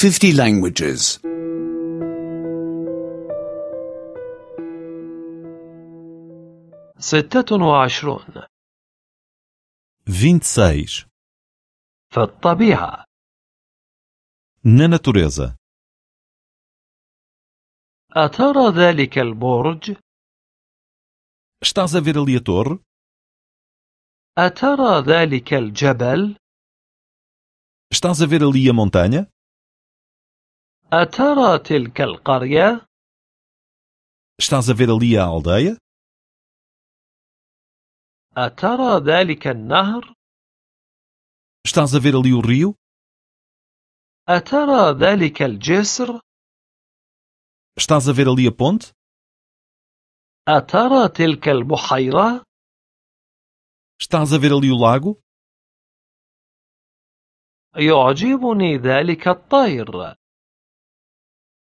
50 languages. 26. 26. في الطبيعة. Na natureza. أترى ذلك البرج؟ Estás a ver ali a torre? أترى ذلك الجبل؟ Estás a ver ali a montanha? أترى تلك القرية؟ Estás a ver ali a aldeia? أترى ذلك النهر؟ Estás a ver ali o rio? أترى ذلك الجسر؟ Estás a ver ali a ponte? أترى تلك البحيرة؟ Estás a ver ali o lago? يعجبني ذلك الطير.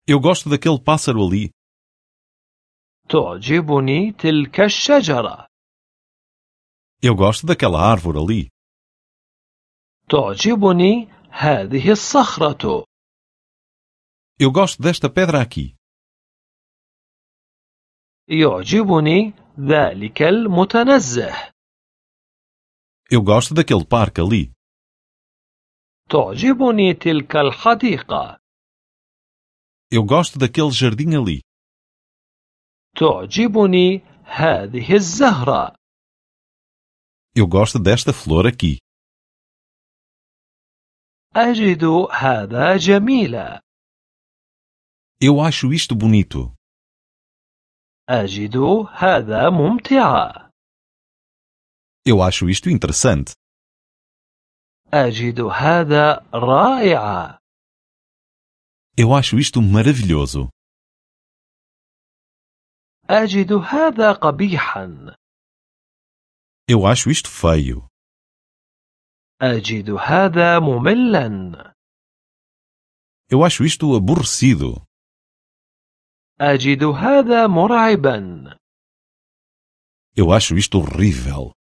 Eu gosto daquele pássaro ali. تعجبني تلك الشجرة. Eu gosto daquela árvore ali. تعجبني هذه الصخرة. Eu gosto desta pedra aqui. يعجبني ذلك المتنزه. Eu gosto daquele parque ali. تعجبني تلك الحديقة. Eu gosto daquele jardim ali. تعجبني هذه الزهرة. Eu gosto desta flor aqui. أجد هذا جميلا. Eu acho isto bonito. أجد هذا ممتعا. Eu acho isto interessante. أجد هذا رائعا. Eu acho isto maravilhoso. أجد هذا قبيحا. Eu acho isto feio. أجد هذا مملا. Eu acho isto aborrecido. أجد هذا مرعبا. Eu acho isto horrível.